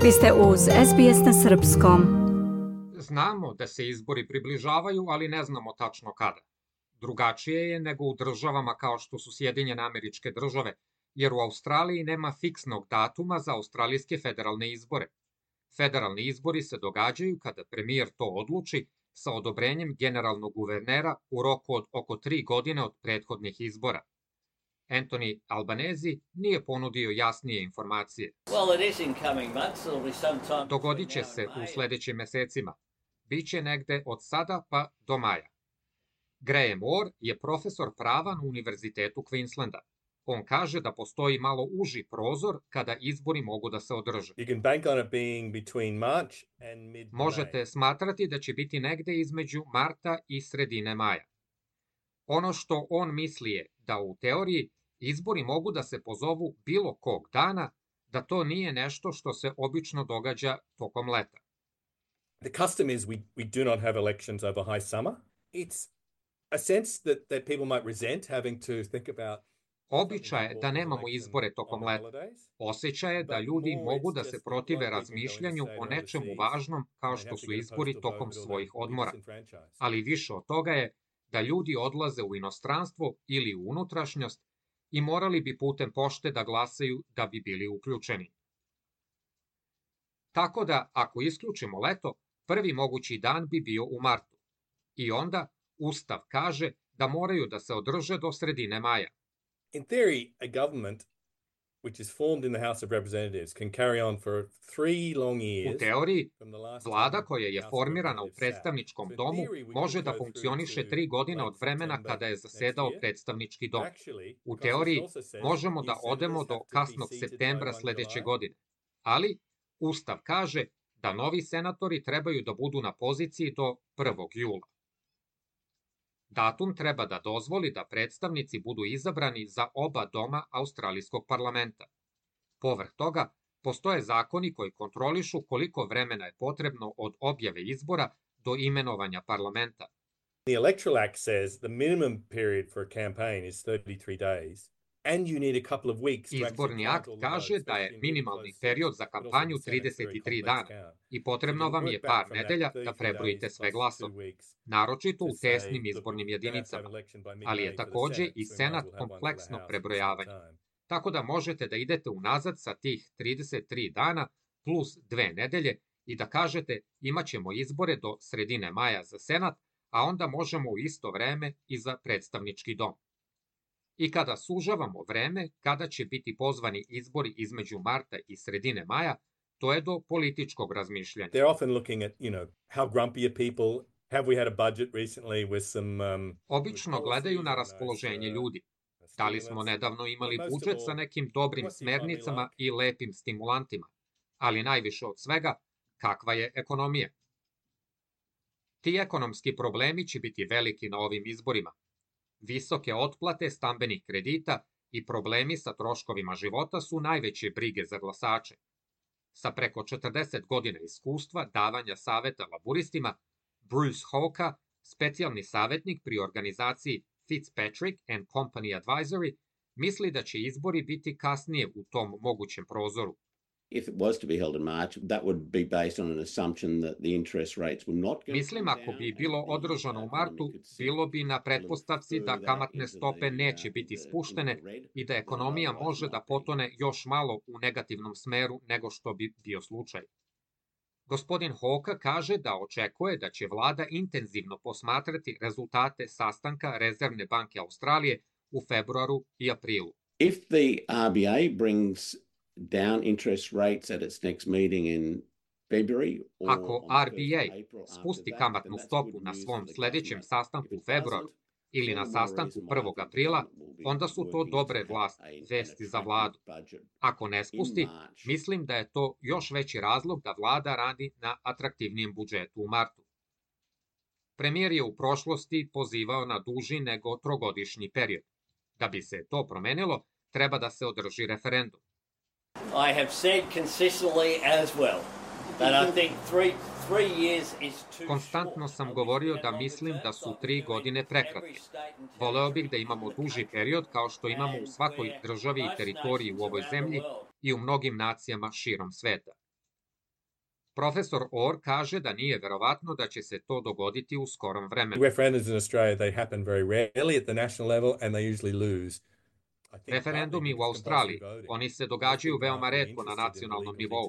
Vi ste uz SBS na Srpskom. Znamo da se izbori približavaju, ali ne znamo tačno kada. Drugačije je nego u državama kao što su Sjedinjene Američke Države, jer u Australiji nema fiksnog datuma za australijske federalne izbore. Federalni izbori se događaju kada premijer to odluči sa odobrenjem generalnog guvernera u roku od oko 3 godine od prethodnih izbora. Anthony Albanese nije ponudio jasnije informacije. Dogodit će se u sledećim mesecima. Biće negde od sada pa do maja. Graham Orr je profesor prava na Univerzitetu Queenslanda. On kaže da postoji malo uži prozor kada izbori mogu da se održe. Možete smatrati da će biti negde između marta i sredine maja. Ono što on misli je da u teoriji izbori mogu da se pozovu bilo kog dana, da to nije nešto što se obično događa tokom leta. The custom is we do not have elections over high summer. It's a sense that people might resent having to think about. Običaj je da nemamo izbore tokom leta. Osjećaj je da ljudi mogu da se protive razmišljanju o nečemu važnom kao što su izbori tokom svojih odmora. Ali više od toga je da ljudi odlaze u inostranstvo ili u unutrašnjost i morali bi putem pošte da glasaju da bi bili uključeni. Tako da, ako isključimo leto, prvi mogući dan bi bio u martu. I onda Ustav kaže da moraju da se održe do sredine maja. In theory, a government which is formed in the House of Representatives can carry on for 3 long years. U teoriji, vlada koja je formirana u predstavničkom domu može da funkcioniše 3 godine od vremena kada je zasedao predstavnički dom. U teoriji, možemo da odemo do kasnog septembra sledeće godine. Ali, Ustav kaže da novi senatori trebaju da budu na poziciji do 1. jula. Datum treba da dozvoli da predstavnici budu izabrani za oba doma australijskog parlamenta. Povrh toga, postoje zakoni koji kontrolišu koliko vremena je potrebno od objave izbora do imenovanja parlamenta. The Electoral Act says the minimum period for a campaign is 33 days. Izborni akt kaže da je minimalni period za kampanju 33 dana i potrebno vam je par nedelja da prebrojite sve glasove, naročito u tesnim izbornim jedinicama, ali je takođe i Senat kompleksno prebrojavanje, tako da možete da idete unazad sa tih 33 dana plus 2 nedelje i da kažete imaćemo izbore do sredine maja za Senat, a onda možemo u isto vreme i za predstavnički dom. I kada sužavamo vreme, kada će biti pozvani izbori između marta i sredine maja, to je do političkog razmišljanja. They're often looking at, how grumpy are people? Have we had a budget recently with some Obično gledaju na raspoloženje ljudi. Da li smo nedavno imali budžet sa nekim dobrim smernicama i lepim stimulantima, ali najviše od svega, kakva je ekonomija? Ti ekonomski problemi će biti veliki na ovim izborima. Visoke otplate stambenih kredita i problemi sa troškovima života su najveće brige za glasače. Sa preko 40 godina iskustva davanja saveta laburistima, Bruce Hoka, specijalni savetnik pri organizaciji Fitzpatrick and Company Advisory, misli da će izbori biti kasnije u tom mogućem prozoru. Mislim, ako bi bilo održano u martu, bilo bi na pretpostavci da kamatne stope neće biti spuštene i da ekonomija može da potone još malo u negativnom smeru nego što bi bio slučaj. Gospodin Hoka kaže da očekuje da će vlada intenzivno posmatrati rezultate sastanka Rezervne banke Australije u februaru i aprilu. If the RBA brings down interest rates at its next meeting in February. Ako RBA spusti kamatnu stopu na svom sledećem sastanku u februaru ili na sastanku 1. aprila, onda su to dobre vesti za vladu. Ako ne spusti, mislim da je to još veći razlog da vlada radi na atraktivnijem budžetu u martu. Premijer je u prošlosti pozivao na duži nego trogodišnji period. Da bi se to promenilo, treba da se održi referendum. I have said consistently as well that I think 3 years is too. Konstantno sam govorio da mislim da su 3 godine prekratke. Voleo bih da imamo duži period kao što imamo u svakoj državi i teritoriji u ovoj zemlji i u mnogim nacijama širom sveta. Profesor Orr kaže da nije verovatno da će se to dogoditi u skorom vremenu. Referendums in Australia, they happen very rarely at the national level and they usually lose. Referendumi u Australiji, oni se događaju veoma retko na nacionalnom nivou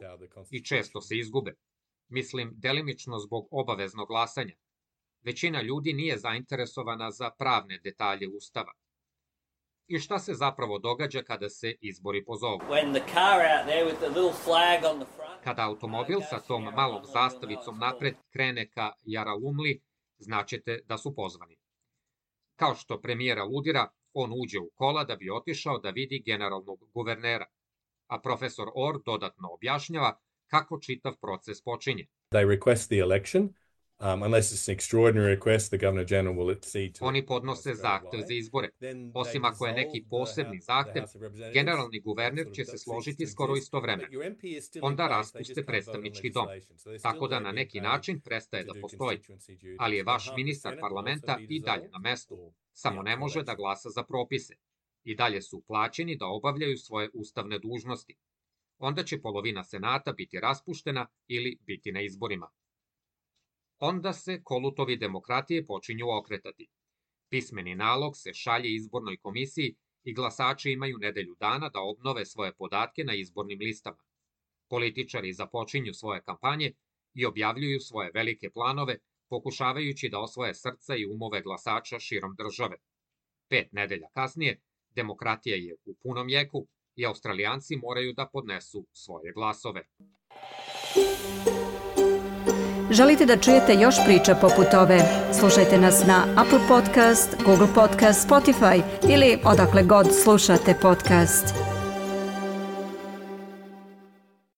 i često se izgube. Mislim, delimično zbog obaveznog glasanja. Većina ljudi nije zainteresovana za pravne detalje Ustava. I šta se zapravo događa kada se izbori pozovu? Kada automobil sa tom malom zastavicom napred krene ka Yarralumli, značite da su pozvani. Kao što premijera ludira, on uđe u kola da bi otišao da vidi generalnog guvernera, a profesor Orr dodatno objašnjava kako čitav proces počinje. They request the election. Unless it's an extraordinary request, the Governor General will accede to. Oni podnose zahtev za izbore. Osim ako je neki posebni zahtev, generalni guverner će se složiti skoro istovremeno. Onda raspuste predstavnički dom, tako da na neki način prestaje da postoji. Ali je vaš ministar parlamenta i dalje na mestu, samo ne može da glasa za propise. I dalje su plaćeni da obavljaju svoje ustavne dužnosti. Onda će polovina senata biti raspuštena ili biti na izborima. Onda se kolutovi demokratije počinju okretati. Pismeni nalog se šalje izbornoj komisiji i glasači imaju nedelju dana da obnove svoje podatke na izbornim listama. Političari započinju svoje kampanje i objavljuju svoje velike planove, pokušavajući da osvoje srca i umove glasača širom države. 5 nedelja kasnije, demokratija je u punom jeku i Australijanci moraju da podnesu svoje glasove. Želite da čujete još priča poput ove? Slušajte nas na Apple Podcast, Google Podcast, Spotify ili odakle god slušate podcast.